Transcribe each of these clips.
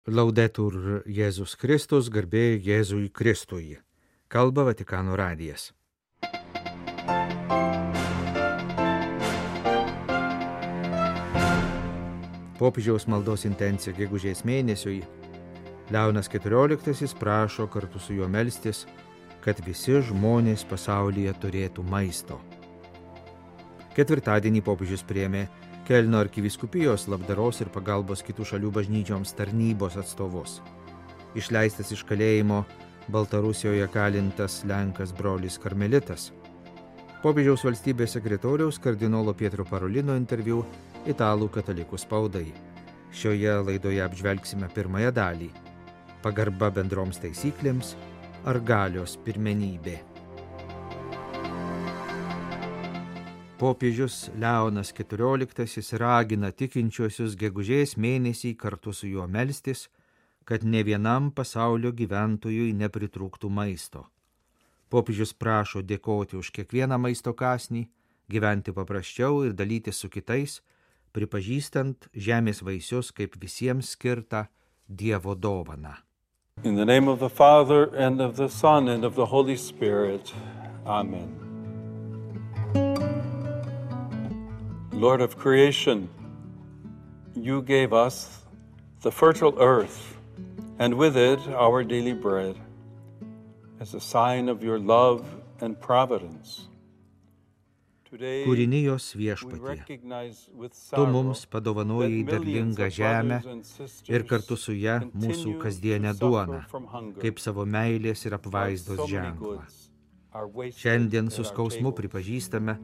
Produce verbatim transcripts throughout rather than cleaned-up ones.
Laudetur Jėzus Kristus, garbė Jėzui Kristui. Kalba Vatikano radijas. Popiežiaus maldos intencija gegužės mėnesiui. Leonas keturioliktasis prašo kartu su juo melstis, kad visi žmonės pasaulyje turėtų maisto. Ketvirtadienį popiežius priėmė Kelno arkivyskupijos labdaros ir pagalbos kitų šalių bažnyčioms tarnybos atstovus. Išleistas iš kalėjimo Baltarusijoje kalintas Lenkas brolis karmelitas. Popiežiaus valstybės sekretoriaus kardinolo Pietro Parolino interviu italų katalikų spaudai. Šioje laidoje apžvelgsime pirmąją dalį – pagarba bendroms taisyklėms ar galios pirmenybė. Popiežius Leonas keturioliktasis ragina tikinčiuosius gegužės mėnesį kartu su juo melstis, kad ne vienam pasaulio gyventojui nepritrūktų maisto. Popiežius prašo dėkoti už kiekvieną maisto kąsnį, gyventi paprasčiau ir dalytis su kitais, pripažįstant žemės vaisius kaip visiems skirtą Dievo dovaną. In the name of the Father and of the Son and of the Holy Spirit. Amen. Lord of creation, you gave us the fertile earth, and with it our daily bread, as a sign of your love and providence. Kūrinijos viešpatie, tu mums padovanojai derlingą žemę ir kartu su ja mūsų kasdienę duoną, kaip savo meilės ir apvaizdos ženklą. Šiandien su skausmu pripažįstame,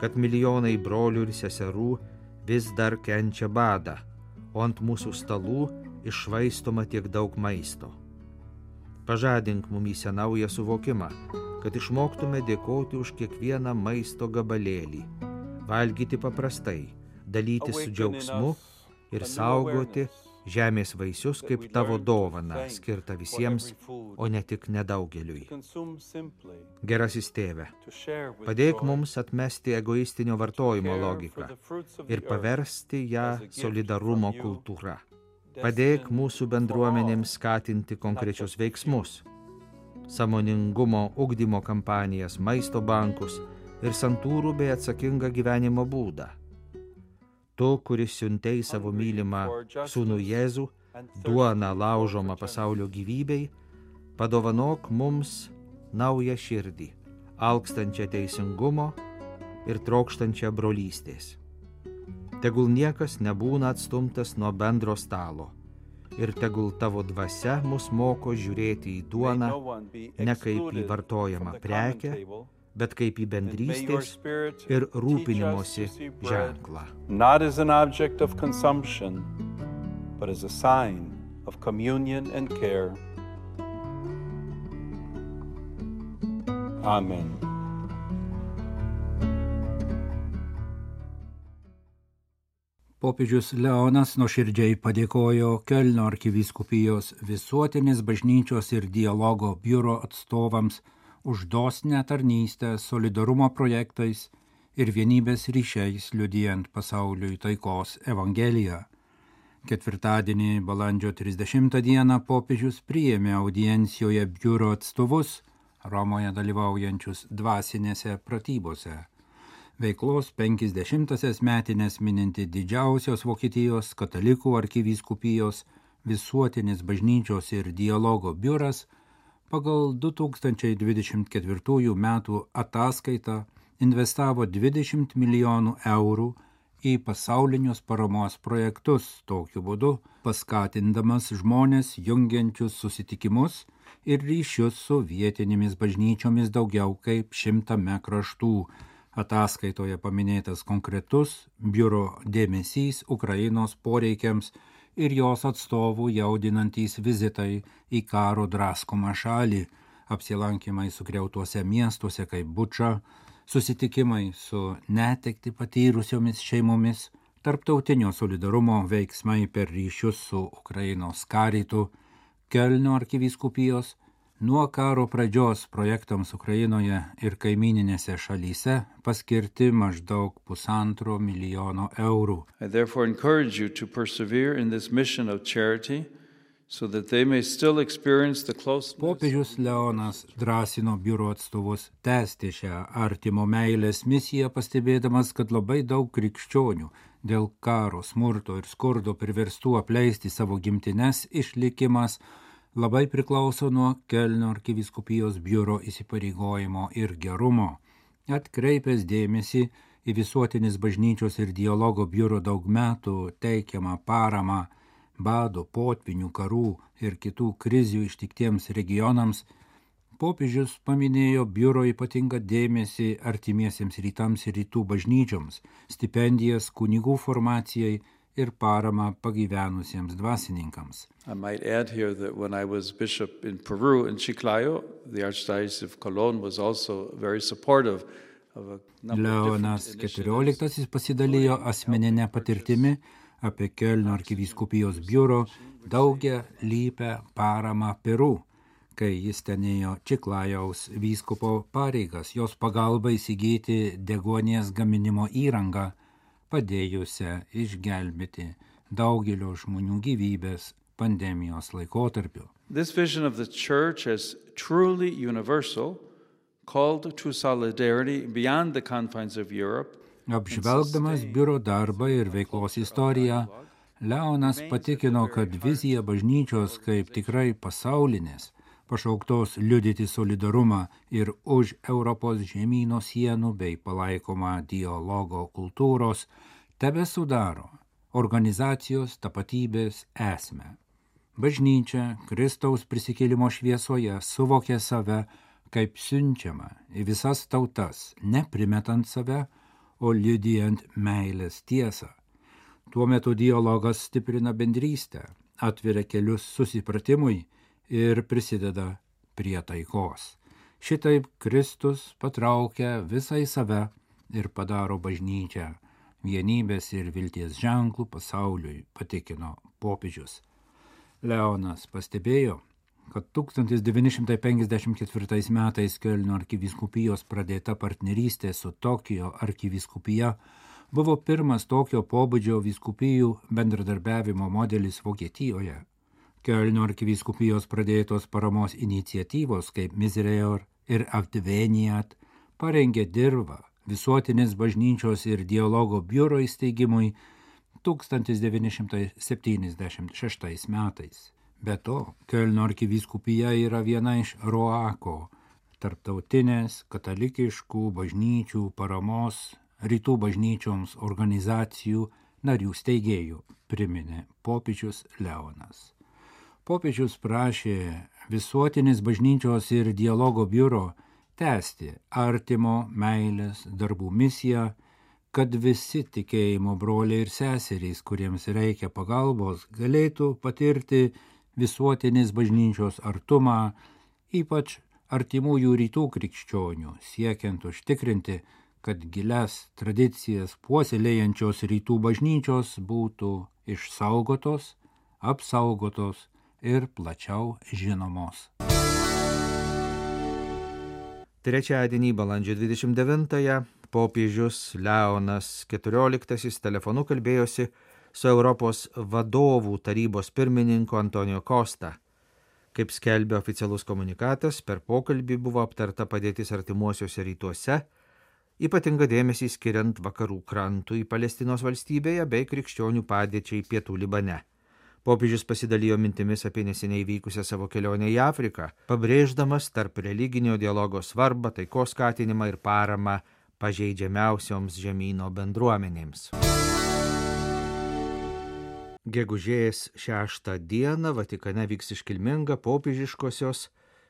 kad milijonai brolių ir seserų vis dar kenčia badą, o ant mūsų stalų iššvaistoma tiek daug maisto. Pažadink mumyse naują suvokimą, kad išmoktume dėkoti už kiekvieną maisto gabalėlį, valgyti paprastai, dalytis su džiaugsmu ir saugoti žemės vaisius kaip tavo dovana, skirta visiems, o ne tik nedaugeliui. Gerasis tėve, padėk mums atmesti egoistinio vartojimo logiką ir paversti ją solidarumo kultūra. Padėk mūsų bendruomenėms skatinti konkrečius veiksmus, sąmoningumo ugdymo kampanijas, maisto bankus ir santūrų bei atsakingą gyvenimo būdą. Tu, kuris siuntei savo mylimą sūnų Jėzų, duoną laužomą pasaulio gyvybei, padovanok mums naują širdį, alkstančią teisingumo ir trokštančią brolystės. Tegul niekas nebūna atstumtas nuo bendro stalo ir tegul tavo dvasia mus moko žiūrėti į duoną ne kaip į vartojamą prekę, bet kaip į bendrystės ir rūpinimosi ženklą. Not as an object of consumption, but as a sign of communion and care. Amen. Popiežius Leonas nuoširdžiai padėkojo Kelno arkivyskupijos visuotinės bažnyčios ir dialogo biuro atstovams už dosnią tarnystę solidarumo projektais ir vienybės ryšiais liudijant pasauliui taikos evangeliją. Ketvirtadienį balandžio trisdešimtą dieną popiežius priėmė audiencijoje biuro atstovus Romoje dalyvaujančius dvasinėse pratybose. Veiklos penkiasdešimtąsias metinės mininti didžiausios Vokietijos katalikų arkivyskupijos visuotinės bažnyčios ir dialogo biuras pagal du tūkstančiai dvidešimt ketvirtųjų metų ataskaitą investavo dvidešimt milijonų eurų į pasaulinius paramos projektus, tokiu būdu paskatindamas žmonės jungiančius susitikimus ir ryšius su vietinėmis bažnyčiomis daugiau kaip šimtame kraštų. Ataskaitoje paminėtas konkretus biuro dėmesys Ukrainos poreikiams ir jos atstovų jaudinantys vizitai į karo draskomą šalį, apsilankymai sugriautuose miestuose kaip Buča, susitikimai su netektį patyrusiomis šeimomis, tarptautinio solidarumo veiksmai per ryšius su Ukrainos karitu, Kelno arkivyskupijos, nuo karo pradžios projektams Ukrainoje ir kaimyninėse šalyse paskirti maždaug pusantro milijono eurų. I therefore encourage you to persevere in this mission of charity so that they may still experience the closeness. Popiežius Leonas drąsino biuro atstovus tęsti šią artimo meilės misiją, pastebėdamas, kad labai daug krikščionių dėl karo, smurto ir skurdo priverstų apleisti savo gimtines išlikimas labai priklauso nuo Kelno arkivyskupijos biuro įsipareigojimo ir gerumo. Atkreipęs dėmesį į visuotinis bažnyčios ir dialogo biuro daug metų teikiamą paramą bado, potvinių, karų ir kitų krizių ištiktiems regionams, popiežius paminėjo biuro ypatingą dėmesį artimiesiems rytams ir rytų bažnyčioms, stipendijas kunigų formacijai ir paramą pagyvenusiems dvasininkams. I might add here that when I was bishop in Peru, in Chiclayo, the Archdiocese of Colón was also very supportive of a number of Leonas different keturioliktasis pasidalijo asmeninę patirtimi apie Kelno arkivyskupijos biuro daugia lypę paramą Peru, kai jis tenėjo Čiklajaus vyskupo pareigas, jos pagalba įsigyti deguonies gaminimo įrangą, padėjusią išgelbėti daugelio žmonių gyvybės pandemijos laikotarpiu. This vision of the church as truly universal, called to solidarity beyond the confines of Europe. Apžvelgdamas biuro darbą ir veiklos istoriją, Leonas patikino, kad vizija bažnyčios kaip tikrai pasaulinės, pašauktos liudyti solidarumą ir už Europos žemyno sienų bei palaikomą dialogo kultūros, tebesudaro organizacijos tapatybės esmę. Bažnyčia Kristaus prisikėlimo šviesoje suvokė save kaip siunčiama į visas tautas, neprimetant save, o liudijant meilės tiesą. Tuo metu dialogas stiprina bendrystę, atveria kelius susipratimui ir prisideda prie taikos. Šitaip Kristus patraukia visą į save ir padaro bažnyčią vienybės ir vilties ženklų pasauliui, patikino popiežius. Leonas pastebėjo, kad tūkstantis devyni šimtai penkiasdešimt ketvirtais metais Kelno arkivyskupijos pradėta partnerystė su Tokijo arkivyskupija buvo pirmas tokio pobūdžio vyskupijų bendradarbiavimo modelis Vokietijoje. Kelno arkivyskupijos pradėtos paramos iniciatyvos kaip Misereor ir Adveniat parengė dirvą visuotinės bažnyčios ir dialogo biuro įsteigimui tūkstantis devyni šimtai septyniasdešimt šeštais metais. Be to, Kelno arkivyskupija yra viena iš ROACO, tarptautinės katalikiškų bažnyčių paramos rytų bažnyčioms organizacijų narių steigėjų, priminė popiežius Leonas. Popiežius prašė visuotinis bažnyčios ir dialogo biuro tęsti artimo meilės darbų misiją, kad visi tikėjimo broliai ir seserys, kuriems reikia pagalbos, galėtų patirti visuotinis bažnyčios artumą, ypač artimųjų rytų krikščionių, siekiant užtikrinti, kad gilias tradicijas puoselėjančios rytų bažnyčios būtų išsaugotos, apsaugotos ir plačiau žinomos. Trečiadienį, balandžio dvidešimt devintąją, popiežius Leonas keturioliktasis telefonu kalbėjosi su Europos vadovų tarybos pirmininku Antonio Costa. Kaip skelbė oficialus komunikatas, per pokalbį buvo aptarta padėtis artimuosiuose rytuose, ypatinga dėmesį skiriant vakarų krantui Palestinos valstybėje bei krikščionių padėčiai pietų Libane. Popiežius pasidalijo mintimis apie neseniai vykusią savo kelionę į Afriką, pabrėždamas tarp religinio dialogo svarbą, taikos skatinimą ir paramą pažeidžiamiausioms žemyno bendruomenėms. Gegužės šeštą dieną Vatikane vyks iškilminga popiežiškosios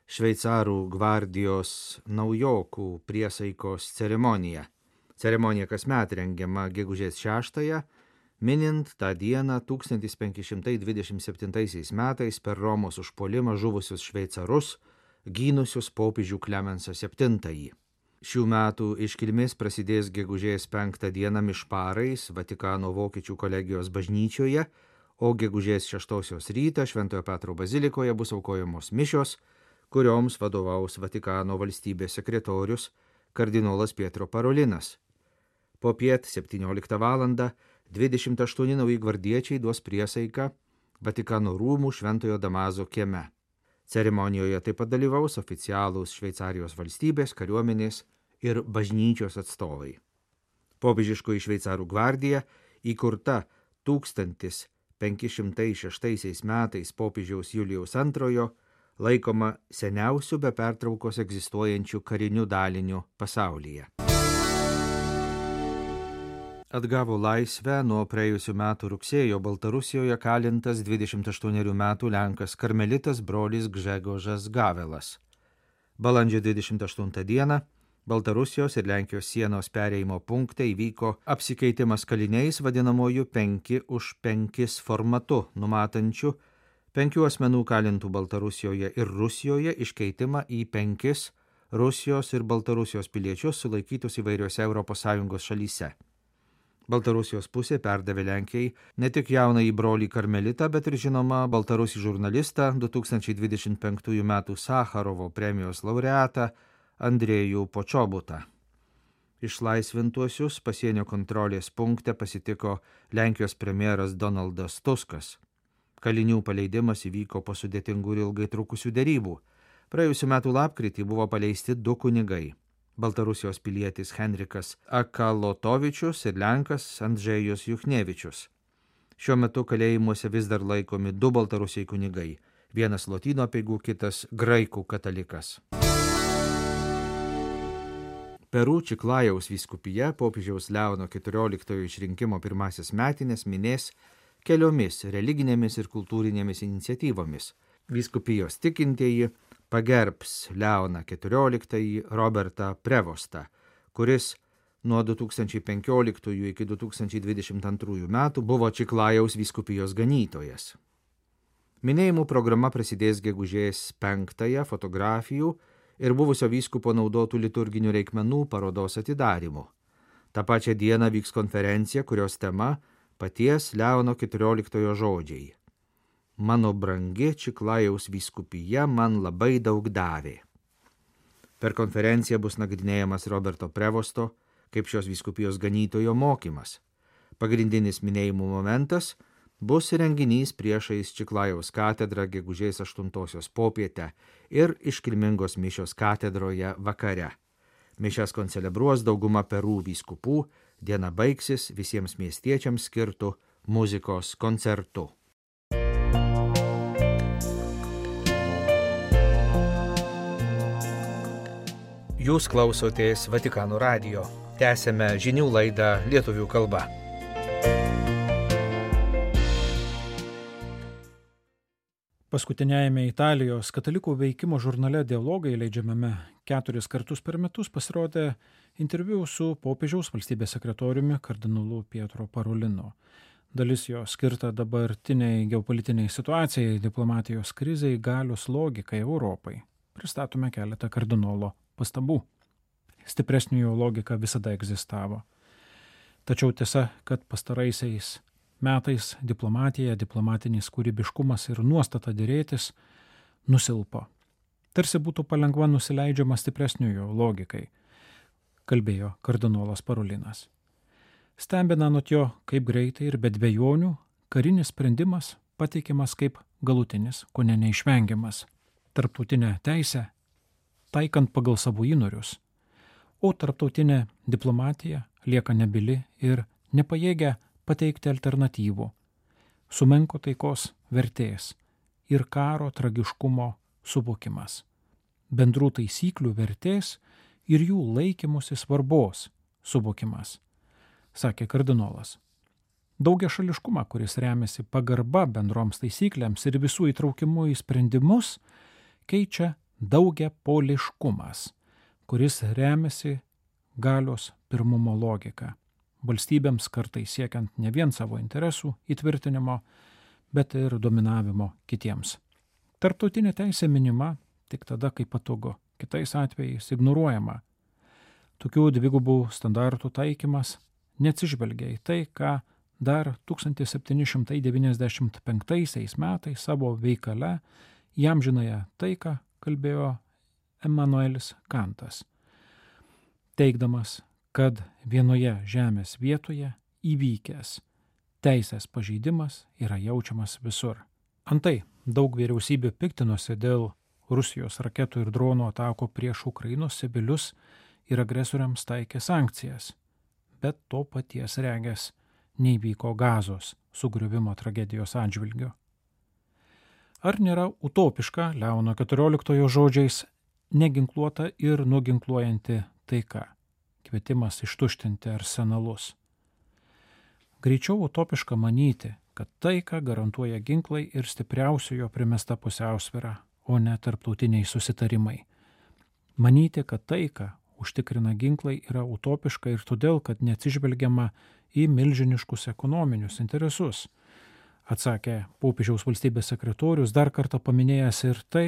šveicarų gvardijos naujokų priesaikos ceremonija. Ceremonija kasmet rengiama gegužės šeštąją, minint tą dieną tūkstantis penki šimtai dvidešimt septintaisiais metais per Romos užpuolimą žuvusius šveicarus, gynusius popiežių Klemensą septintąjį. Šių metų iškilmės prasidės gegužės penktą dieną mišparais Vatikano vokiečių kolegijos bažnyčioje, o gegužės šeštosios rytą Šventojo Petro bazilikoje bus aukojamos mišios, kurioms vadovaus Vatikano valstybės sekretorius kardinolas Pietro Parolinas. Popiet septynioliktą valandą dvidešimt aštuoni nauji gvardiečiai duos priesaiką Vatikano rūmų Šventojo Damaso kieme. Ceremonijoje taip pat dalyvaus oficialūs Šveicarijos valstybės, kariuomenės ir bažnyčios atstovai. Popiežiškoji šveicarų gvardija, įkurta tūkstantis penki šimtai šeštaisiais metais popiežiaus Julijaus antrojo, laikoma seniausiu be pertraukos egzistuojančiu kariniu daliniu pasaulyje. Atgavo laisvę nuo praėjusių metų rugsėjo Baltarusijoje kalintas dvidešimt aštuonerių metų lenkas karmelitas brolis Gžegožas Gavelas. Balandžio dvidešimt aštuntą dieną Baltarusijos ir Lenkijos sienos perėjimo punkte įvyko apsikeitimas kaliniais vadinamojų penki už penkis formatu, numatančių penkių asmenų kalintų Baltarusijoje ir Rusijoje iškeitimą į penkis Rusijos ir Baltarusijos piliečius sulaikytus įvairiose Europos Sąjungos šalyse. Baltarusijos pusė perdavė Lenkijai ne tik jaunąjį brolį karmelitą, bet ir žinoma baltarusį žurnalistą du tūkstančiai dvidešimt penktųjų metų Sacharovo premijos laureatą Andrėjų Počobutą. Išlaisvintuosius pasienio kontrolės punkte pasitiko Lenkijos premjeras Donaldas Tuskas. Kalinių paleidimas įvyko po sudėtingų ir ilgai trukusių derybų. Praėjusiu metu lapkritį buvo paleisti du kunigai. Baltarusijos pilietis Henrikas Akalotovičius ir lenkas Andžejus Juchnevičius. Šiuo metu kalėjimuose vis dar laikomi du baltarusiai kunigai, vienas lotynų apeigų, kitas graikų katalikas. Peru Čiklajaus vyskupija popiežiaus Leono keturioliktojo išrinkimo pirmasis metinės minės keliomis religinėmis ir kultūrinėmis iniciatyvomis. Vyskupijos tikintieji pagerbs Leoną keturioliktąjį Robertą Prevostą, kuris nuo du tūkstančiai penkioliktųjų iki du tūkstančiai dvidešimt antrųjų metų buvo Čiklajaus vyskupijos ganytojas. Minėjimų programa prasidės gegužės penktąją fotografijų ir buvusio vyskupo naudotų liturginių reikmenų parodos atidarymu. Ta pačia diena vyks konferencija, kurios tema paties Leono keturioliktojo žodžiai. Mano brangi Čiklajaus vyskupija man labai daug davė. Per konferenciją bus nagrinėjamas Roberto Prevosto kaip šios vyskupijos ganytojo mokymas. Pagrindinis minėjimų momentas bus renginys priešais Čiklajaus katedrą gegužės aštuntosios popietę ir iškilmingos mišios katedroje vakare. Mišias koncelebruos dauguma Peru vyskupų, diena baigsis visiems miestiečiams skirtų muzikos koncertu. Jūs klausotės Vatikano radijo. Tęsėme žinių laidą lietuvių kalba. Paskutiniajame Italijos katalikų veikimo žurnale Dialogai, leidžiamame keturis kartus per metus, pasirodė interviu su popiežiaus valstybės sekretoriumi kardinolu Pietro Parolino. Dalis jo skirta dabartiniai geopolitiniai situacijai, diplomatijos krizei, galios logikai Europai. Pristatome keletą kardinolo pastabų. Stipresnio jo logika visada egzistavo. Tačiau tiesa, kad pastaraisiais metais diplomatija, diplomatinis kūrybiškumas ir nuostata derėtis nusilpo. Tarsi būtų palengva nusileidžiama stipresnio jo logikai, kalbėjo kardinolas Parolinas. Stebina anot jo, kaip greitai ir be dvejonių karinis sprendimas pateikiamas kaip galutinis, kone neišvengiamas. Tarptautinę teisę taikant pagal savo įnorius, o tarptautinė diplomatija lieka nebili ir nepajėgia pateikti alternatyvų, sumenko taikos vertės ir karo tragiškumo suvokimas, bendrų taisyklių vertės ir jų laikymosi svarbos suvokimas, sakė kardinolas. Daugiašališkumą, kuris remiasi pagarba bendroms taisyklėms ir visų įtraukimu į sprendimus, keičia daugiapoliškumas, kuris remiasi galios pirmumo logika, valstybėms kartais siekiant ne vien savo interesų įtvirtinimo, bet ir dominavimo kitiems. Tarptautinė teisė minima tik tada, kai patogu, kitais atvejais ignoruojama. Tokių dvigubų standartų taikymas neatsižvelgia į tai, ką dar tūkstantis septyni šimtai devyniasdešimt penktaisiais metais savo veikale į amžinąją taiką kalbėjo Emanuelis Kantas, teigdamas, kad vienoje žemės vietoje įvykęs teisės pažeidimas yra jaučiamas visur. Antai, daug vyriausybių piktinosi dėl Rusijos raketų ir dronų atako prieš Ukrainos civilius ir agresoriams taikė sankcijas, bet to paties regės neįvyko Gazos sugriuvimo tragedijos atžvilgiu. Ar nėra utopiška Leono keturioliktojo žodžiais neginkluota ir nuginkluojanti taika, kvietimas ištuštinti arsenalus? Greičiau utopiška manyti, kad taiką garantuoja ginklai ir stipriausiojo primesta pusiausvyra, o ne tarptautiniai susitarimai. Manyti, kad taiką užtikrina ginklai, yra utopiška ir todėl, kad neatsižvelgiama į milžiniškus ekonominius interesus, atsakė popiežiaus valstybės sekretorius, dar kartą paminėjęs ir tai,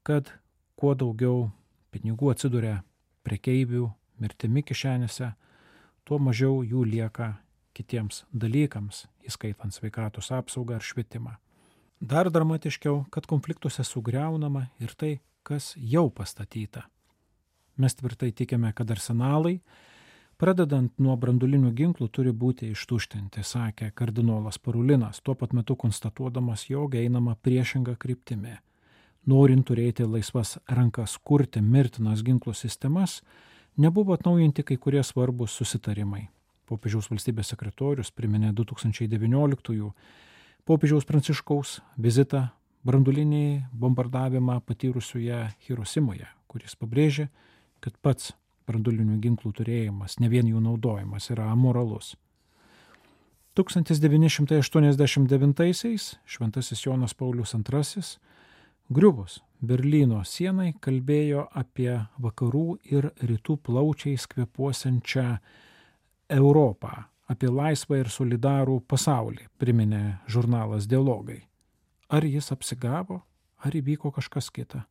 kad kuo daugiau pinigų atsiduria prekeivių mirtimi kišenėse, tuo mažiau jų lieka kitiems dalykams, įskaitant sveikatos apsaugą ar švietimą. Dar dramatiškiau, kad konfliktuose sugriaunama ir tai, kas jau pastatyta. Mes tvirtai tikime, kad arsenalai, pradedant nuo brandulinių ginklų, turi būti ištuštinti, sakė kardinolas Parulinas, tuo pat metu konstatuodamas, jog einama priešinga kryptimi. Norint turėti laisvas rankas kurti mirtinas ginklų sistemas, nebuvo atnaujinti kai kurie svarbus susitarimai. Popiežiaus valstybės sekretorius priminė du tūkstančiai devynioliktųjų popiežiaus Pranciškaus vizitą brandulinį bombardavimą patyrusioje Hirosimoje, kuris pabrėžė, kad pats brandulinių ginklų turėjimas, ne vien jų naudojimas, yra amoralus. tūkstantis devyni šimtai aštuoniasdešimt devintaisiais šventasis Jonas Paulius antrasis griuvus Berlyno sienai kalbėjo apie vakarų ir rytų plaučiais kvėpuosiančią Europą, apie laisvą ir solidarų pasaulį, priminė žurnalas Dialogai. Ar jis apsigavo, ar įvyko kažkas kita?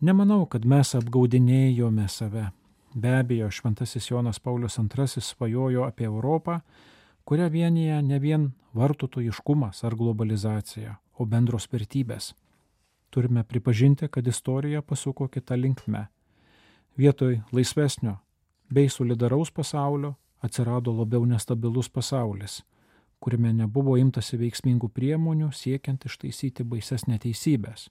Nemanau, kad mes apgaudinėjome save. Be abejo, šventasis Jonas Paulius antrasis svajojo apie Europą, kurią vienyje ne vien vartotojiškumas ar globalizacija, o bendros vertybės. Turime pripažinti, kad istorija pasuko kitą linkme. Vietoj laisvesnio bei solidaraus pasaulio atsirado labiau nestabilus pasaulis, kuriame nebuvo imtasi veiksmingų priemonių siekiant ištaisyti baises neteisybės,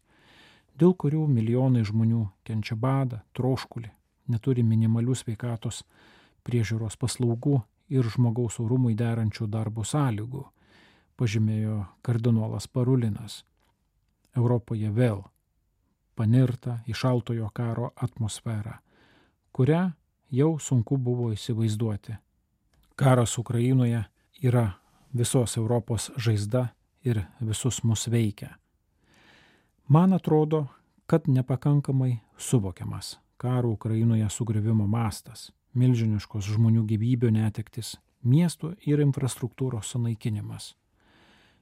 dėl kurių milijonai žmonių kenčia badą, troškulį, neturi minimalių sveikatos priežiūros paslaugų ir žmogaus orumui derančių darbo sąlygų, pažymėjo kardinolas Parulinas. Europoje vėl panirta į šaltojo karo atmosferą, kurią jau sunku buvo įsivaizduoti. Karas Ukrainoje yra visos Europos žaizda ir visus mus veikia. Man atrodo, kad nepakankamai suvokiamas karo Ukrainoje sugriuvimo mastas, milžiniškos žmonių gyvybių netektis, miestų ir infrastruktūros sunaikinimas.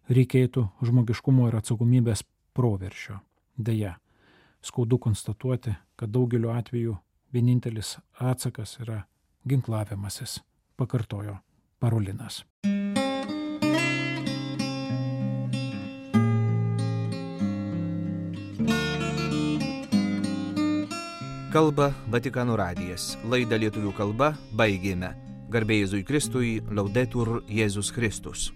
Reikėtų žmogiškumo ir atsakomybės proveržio. Deja, skaudu konstatuoti, kad daugeliu atveju vienintelis atsakas yra ginklavimasis, pakartojo Parulinas. Kalba Vatikano radijas. Laidą lietuvių kalba baigėme. Garbė Jėzui Kristui, Laudetur Jėzus Kristus.